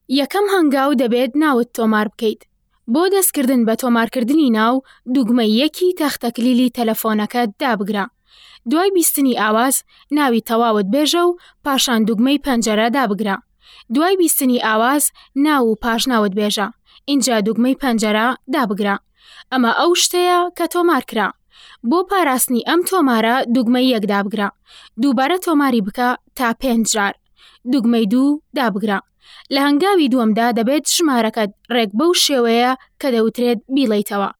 یەکەم هەنگاو دەبێت ناوت تۆمار بکەیت. بۆ دەستکردن بە تۆمارکردنی ناو، دوگمەی یەکی تەختەکلیلی تەلەفۆنەکەت دابگرە. دوای بیستنی ئاواز، ناوی تەواوت بێژە و پاشان دوگمەی پەنجەرە دابگرە. دوای بیستنی ئاواز، ناو و پاشناوت بێژە، ئینجا دوگمەی پەنجەرە دابگرە. ئەمە ئەو شتەیە کە تۆمار کرا. بۆ پاراستنی ئەم تۆمارە دوگمەی یەک دابگرە. دووبارە تۆماری بکە تا پێنج جار. دوگمەی دوو دابگرە. لە هەنگاوی دووەمدا دەبێت ژمارەکەت ڕێک بەو شێوەیە کە دەوترێت بیڵێیتەوە.